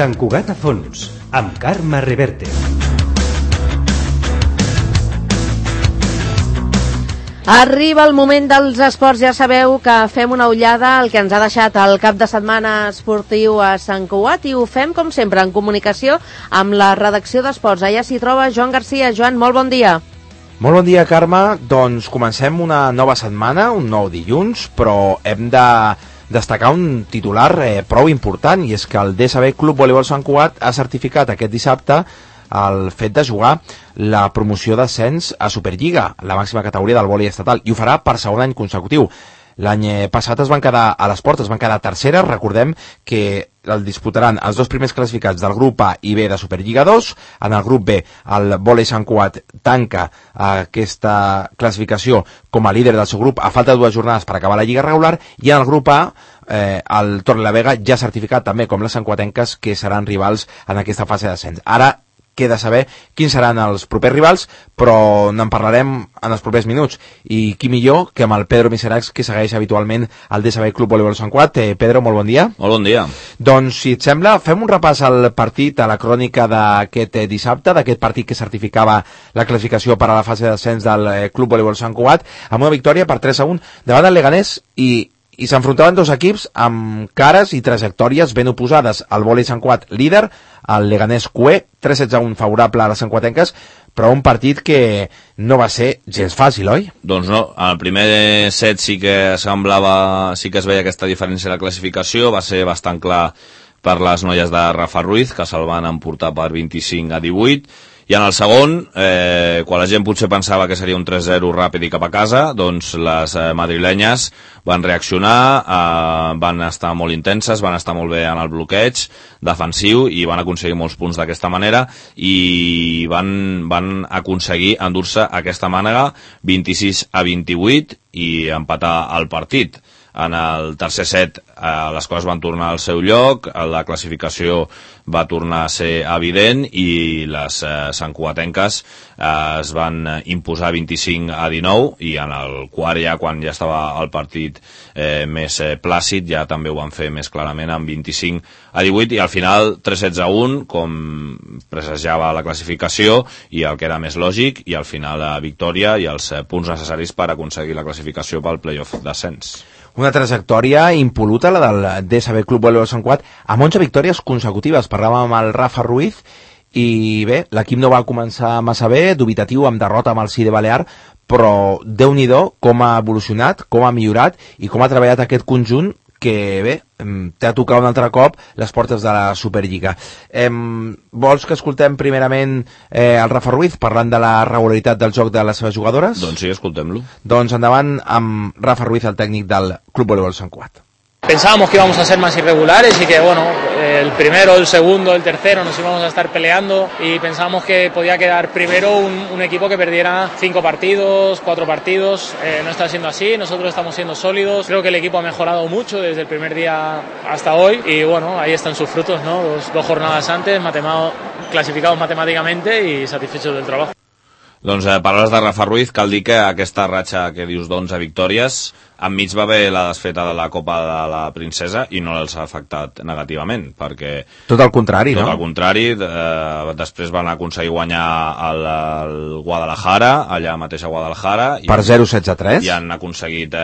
Sant Cugat a fons, amb Carme Reverte. Arriba el moment dels esports, ja sabeu que fem una ullada al que ens ha deixat el cap de setmana esportiu a Sant Cugat i ho fem, com sempre, en comunicació amb la redacció d'Esports. Allà s'hi troba Joan Garcia. Joan, molt bon dia. Molt bon dia, Carme. Doncs comencem una nova setmana, un nou dilluns, però hem de destacar un titular prou important, i és que el DSB Club Voleibol Sant Cugat ha certificat aquest dissabte el fet de jugar la promoció d'ascens a Superliga, la màxima categoria del vòlei estatal, i ho farà per segon any consecutiu. L'any passat es van quedar a les portes, es van quedar terceres. Recordem que el disputaran els dos primers classificats del grup A i B de Superliga 2. En el grup B, el vòlei Sant Cugat tanca aquesta classificació com a líder del seu grup a falta de 2 jornades per acabar la lliga regular, i en el grup A el Torrelavega ja ha certificat també com les sancuatenques que seran rivals en aquesta fase d'ascens. Ara queda saber quins seran els propers rivals, però n'en parlarem en els propers minuts. I qui millor que amb el Pedro Miseracs, que segueix habitualment el DSB Club Voleibol Sant Cugat. Pedro, molt bon dia. Molt bon dia. Doncs, si et sembla, fem un repàs al partit, a la crònica d'aquest dissabte, d'aquest partit que certificava la classificació per a la fase d'ascens del Club Voleibol Sant Cugat, amb una victòria per 3-1 davant del Leganés, i s'enfrontaven dos equips amb cares i trajectòries ben oposades. El vòlei Sant Cugat líder, el Leganés QE, 3-1 favorable a les sancuatenques, però un partit que no va ser gens fàcil, oi? Doncs no, al primer set sí que es veia aquesta diferència de la classificació, va ser bastant clar per les noies de Rafa Ruiz, que se'l van emportar per 25-18, i en el segon, quan la gent potser pensava que seria un 3-0 ràpid i cap a casa, doncs les madrilenyes van reaccionar, van estar molt intenses, van estar molt bé en el bloqueig defensiu i van aconseguir molts punts d'aquesta manera, i van aconseguir endur-se aquesta mànega 26-28 i empatar el partit. En el tercer set les coses van tornar al seu lloc, la classificació va tornar a ser evident i les santcugatenques es van imposar 25-19, i en el quart, ja quan ja estava el partit més plàcid, ja també ho van fer més clarament amb 25-18, i al final 3-1, com pressagiava la classificació i el que era més lògic, i al final la victòria i els punts necessaris per aconseguir la classificació pel playoff d'ascens. Una trajectòria impol·luta, la del DSB Club Voleibol Sant Cugat, amb 11 victòries consecutives. Parlàvem amb el Rafa Ruiz, i bé, l'equip no va començar massa bé, dubitatiu, amb derrota amb el CIDE Balear, però Déu-n'hi-do com ha evolucionat, com ha millorat i com ha treballat aquest conjunt, que bé, té a tocar un altre cop les portes de la Superliga. Vols que escoltem primerament el Rafa Ruiz parlant de la regularitat del joc de les seves jugadores? Doncs sí, escoltem-lo. Doncs endavant amb Rafa Ruiz, el tècnic del Club Voleibol Sant Cugat. Pensábamos que íbamos a ser más irregulares y que, bueno, el primero, el segundo, el tercero nos íbamos a estar peleando, y pensábamos que podía quedar primero un equipo que perdiera 5 partidos, 4 partidos. No está siendo así, nosotros estamos siendo sólidos. Creo que el equipo ha mejorado mucho desde el primer día hasta hoy, y bueno, ahí están sus frutos, ¿no? Dos jornadas antes, clasificados matemáticamente y satisfechos del trabajo. Doncs paraules de Rafa Ruiz. Cal dir que aquesta ratxa que dius d'11 victòries, enmig va haver la desfeta de la Copa de la Princesa i no els ha afectat negativament, perquè... Tot el contrari, no? Tot el contrari. Després van aconseguir guanyar el Guadalajara, allà mateix a Guadalajara. Per 0-16-3. I han aconseguit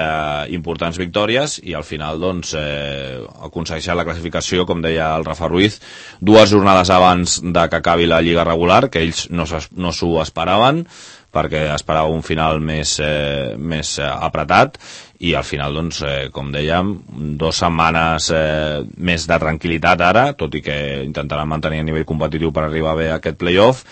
importants victòries, i al final doncs aconsegueixen la classificació, com deia el Rafa Ruiz, 2 jornades abans de que acabi la lliga regular, que ells no s'ho esperaven, perquè esperava un final més apretat, i al final, doncs, com dèiem, 2 setmanes més de tranquil·litat ara, tot i que intentaran mantenir a nivell competitiu per arribar bé a aquest playoff,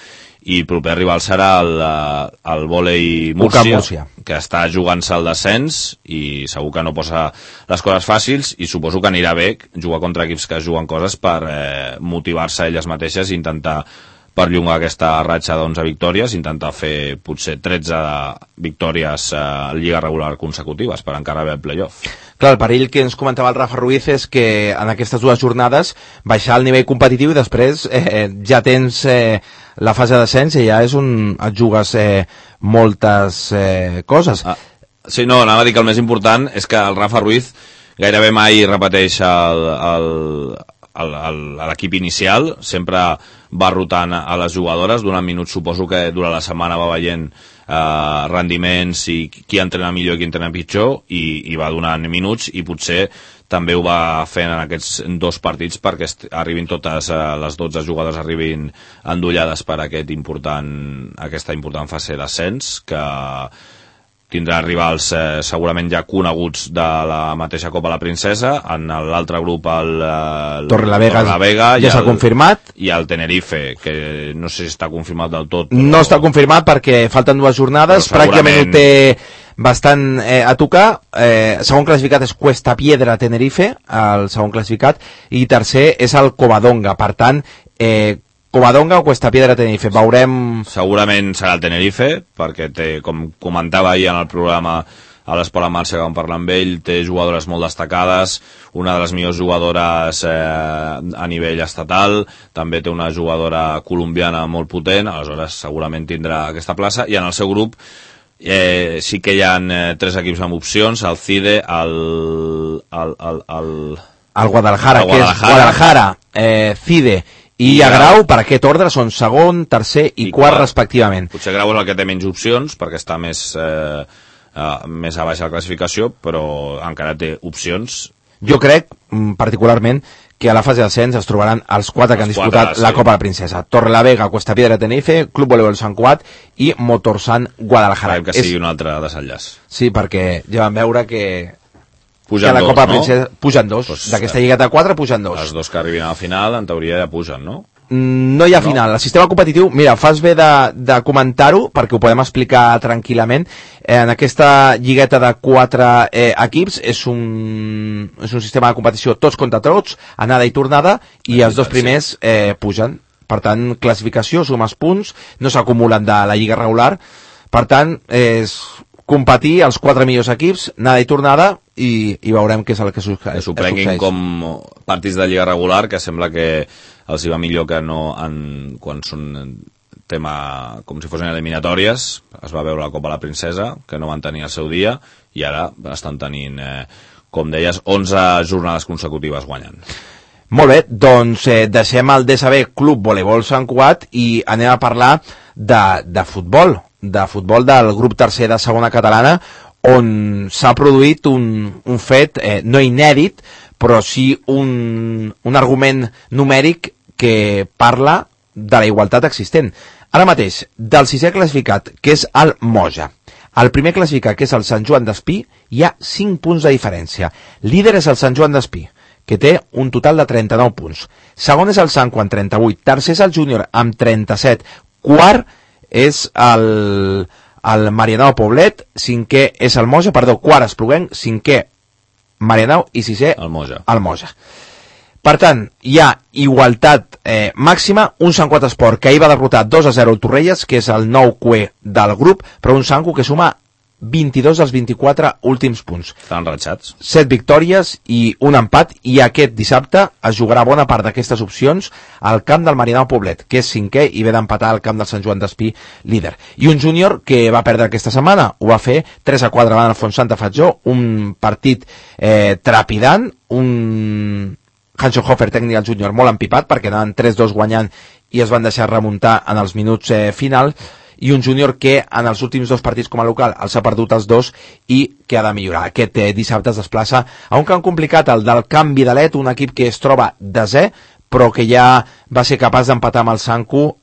i proper rival serà el vòlei Múrcia, que està jugant-se al descens, i segur que no posa les coses fàcils, i suposo que anirà bé jugar contra equips que juguen coses per motivar-se elles mateixes i intentar perllongar aquesta ratxa d'11 victòries, intentar fer potser 13 victòries a lliga regular consecutives per encara haver el playoff. Clar, el perill que ens comentava el Rafa Ruiz és que en aquestes 2 jornades baixar el nivell competitiu i després ja tens la fase d'ascens i ja és on et jugues moltes coses. Sí, no, anava a dir que el més important és que el Rafa Ruiz gairebé mai repeteix l'equip inicial, sempre va rotant a les jugadores, donant minuts. Suposo que durant la setmana va veient rendiments i qui entrena millor i qui entrena pitjor, i va donant minuts, i potser també ho va fent en aquests 2 partits perquè arribin totes les 12 jugadores arribin endollades per aquesta important fase d'ascens, que tindrà rivals segurament ja coneguts de la mateixa Copa la Princesa. En l'altre grup el Torrelavega ja s'ha confirmat, i el Tenerife, que no sé si està confirmat del tot, no està confirmat perquè falten 2 jornades, pràcticament ho té bastant a tocar. Segon classificat és Cuesta Piedra Tenerife, el segon classificat, i tercer és el Covadonga. Per tant, Covadonga o Cuesta Piedra Tenerife, veurem. Segurament serà el Tenerife, perquè té, com comentava ahir en el programa a l'Esport en Marxa, que vam parlar amb ell, té jugadores molt destacades, una de les millors jugadores a nivell estatal, també té una jugadora colombiana molt potent, aleshores segurament tindrà aquesta plaça, i en el seu grup sí que hi ha 3 equips amb opcions: el CIDE, el Guadalajara, que és Guadalajara, CIDE i Grau. Per aquest ordre són segon, tercer i quart respectivament. Potser Grau és el que té menys opcions perquè està més a baixa la classificació, però encara té opcions. Jo crec particularment que a la fase d'ascens es trobaran els 4 que han disputat la Copa de la Princesa: Torrelavega, Cuesta Piedra Tenerife, Club Voleibol Sant Cugat i Motorsan Guadalajara. Esperem que sigui un altre desenllaç. Sí, perquè ja vam veure que pugen a la Copa de la Princesa pugen 2, doncs, d'aquesta lligueta de 4 pugen 2. Els 2 que arribin a la final, en teoria ja pugen, no? No hi ha final. El sistema competitiu, mira, fas bé de comentar-ho perquè ho podem explicar tranquil·lament. En aquesta lligueta de 4 equips és un sistema de competició tots contra tots, anada i tornada, i els 2 primers pugen. Per tant, classificació, sumes punts, no s'acumulen de la lliga regular. Per tant, és competir els 4 millors equips, anada i tornada, i veurem què és el que succeeix. S'ho prenguin com partits de lliga regular, que sembla que els hi va millor que no quan són tema com si fossin eliminatòries. Es va veure la Copa la Princesa, que no van tenir el seu dia, i ara estan tenint, com deies, 11 jornades consecutives guanyant. Molt bé, doncs deixem el DSB Club Voleibol Sant Cugat i anem a parlar de futbol del grup tercer de segona catalana, on s'ha produït un fet no inèdit, però sí un argument numèric que parla de la igualtat existent. Ara mateix, del 6è classificat, que és el Moja, el primer classificat, que és el Sant Joan d'Espí, hi ha 5 punts de diferència. Líder és el Sant Joan d'Espí, que té un total de 39 punts. Segon és el Sanco amb 38, tercer és el Júnior amb 37, quart és el Marianao Poblet, cinquè és el Moja, quart Espluguenc, cinquè Marianao i sisè el Moja. Per tant, hi ha igualtat màxima, un Sant Cugat Esport que ahir va derrotar 2-0 el Torrelles, que és el nou cué del grup, però un Sanco que suma 22 dels 24 últims punts. Estan ratxats. 7 victòries i un empat, i aquest dissabte es jugarà bona part d'aquestes opcions al camp del Marianao Poblet, que és cinquè i ve d'empatar al camp del Sant Joan d'Espí, líder. I un júnior que va perdre aquesta setmana, ho va fer 3-4 davant el Fontsanta Fatjó, un partit trepidant, un Hansenhofer tècnic al júnior molt empipat perquè anaven 3-2 guanyant i es van deixar remuntar en els minuts finals, i un júnior que en els últims 2 partits com a local els ha perdut els 2 i que ha de millorar. Aquest dissabte es desplaça a un camp complicat, el del Camp Vidalet, un equip que es troba desè, però que ja va ser capaç d'empatar amb el Sanco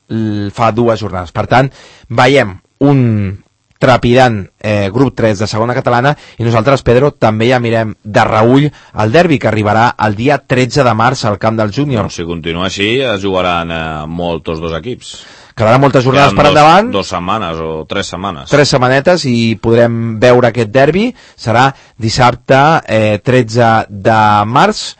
fa 2 jornades. Per tant, veiem un trepidant grup 3 de segona catalana, i nosaltres, Pedro, també ja mirem de reüll el derbi que arribarà el dia 13 de març al camp del júnior. Si continua així, es jugaran molt tots 2 equips. Quedaran moltes jornades per endavant. 2 setmanes o 3 setmanes. 3 setmanetes i podrem veure aquest derbi. Serà dissabte 13 de març,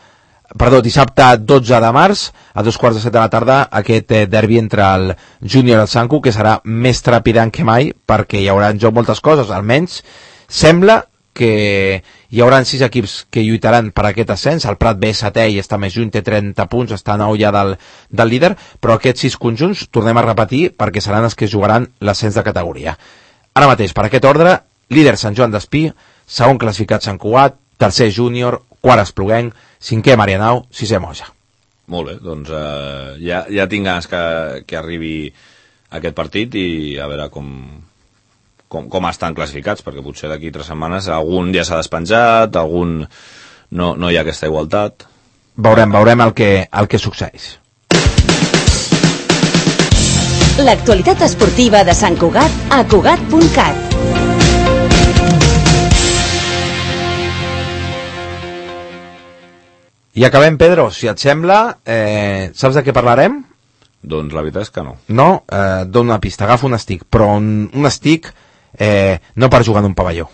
dissabte 12 de març, a 2:15 de la tarda, aquest derbi entre el Júnior i el Sanco, que serà més trepidant que mai, perquè hi haurà en joc moltes coses. Almenys sembla que hi haurà 6 equips que lluitaran per aquest ascens. El Prat ve setè i està més lluny, té 30 punts, està a 9 ja del líder, però aquests 6 conjunts, tornem a repetir, perquè seran els que jugaran l'ascens de categoria. Ara mateix, per aquest ordre, líder Sant Joan d'Espí, segon classificat Sant Cugat, tercer Júnior, quart Espluguenc, cinquè Marianao, sisè Moja. Molt bé, doncs ja tinc ganes que arribi aquest partit i a veure com estan classificats, perquè potser d'aquí 3 setmanes algun ja s'ha despenjat, algun no hi ha aquesta igualtat. Veurem el que succeeix. L'actualitat esportiva de Sant Cugat a Cugat.cat. I acabem, Pedro, si et sembla. Saps de què parlarem? Doncs la veritat és que no. No? Dono una pista, agafa un stick, però un stick no per jugar en un pavelló.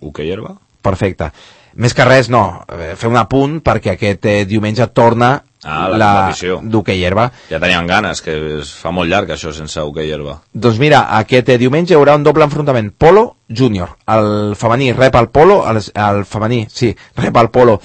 Hoquei herba? Perfecte. Més que res, no, fer un apunt perquè aquest diumenge torna la competició d'hoquei herba. Ja teníem ganes, que es fa molt llarg això sense hoquei herba. Doncs mira, aquest diumenge hi haurà un doble enfrontament polo júnior. El femení rep el polo, el femení, sí, rep el polo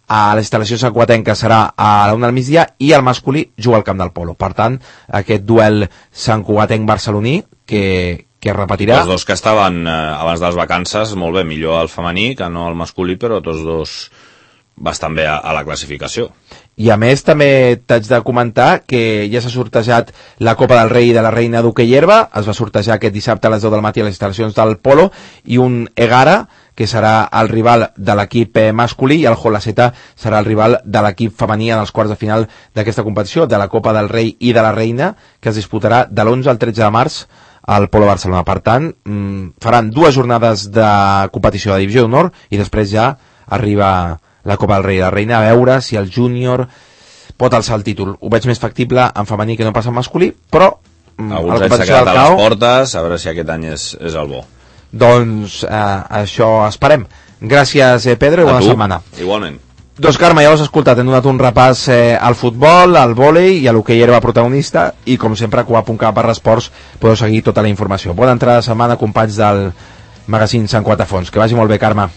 a les instal·lacions santcugatenques, serà a la 1 del migdia, i el masculí juga al camp del polo. Per tant, aquest duel santcugatenc-barceloní que es repetirà. Els dos que estaven abans de les vacances, molt bé, millor el femení que no el masculí, però tots dos bastant bé a la classificació. I a més també t'haig de comentar que ja s'ha sortejat la Copa del Rei i de la Reina d'hoquei herba, es va sortejar aquest dissabte a les 10 del matí a les instal·lacions del polo, i un Egara, que serà el rival de l'equip masculí, i el Jolaceta serà el rival de l'equip femení en els quarts de final d'aquesta competició, de la Copa del Rei i de la Reina, que es disputarà de l'11 al 13 de març al Polo Barcelona. Per tant, faran 2 jornades de competició de divisió d'honor i després ja arriba la Copa del Rei i la Reina, a veure si el júnior pot alçar el títol. Ho veig més factible en femení que no pas en masculí, però alguns anys s'ha quedat a les portes, a veure si aquest any és el bo. Doncs això esperem. Gràcies, Pedro, i bona setmana. Igualment. Doncs Carme, ja ho has escoltat, hem donat un repàs al futbol, al vòlei i a l'hoquei herba protagonista, i com sempre a Cugat.cat/esports podeu seguir tota la informació. Bona entrada de setmana, companys del magazín Sant Cugat a Fons. Que vagi molt bé, Carme.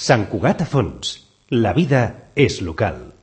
Sant Cugat a Fons. La vida és local.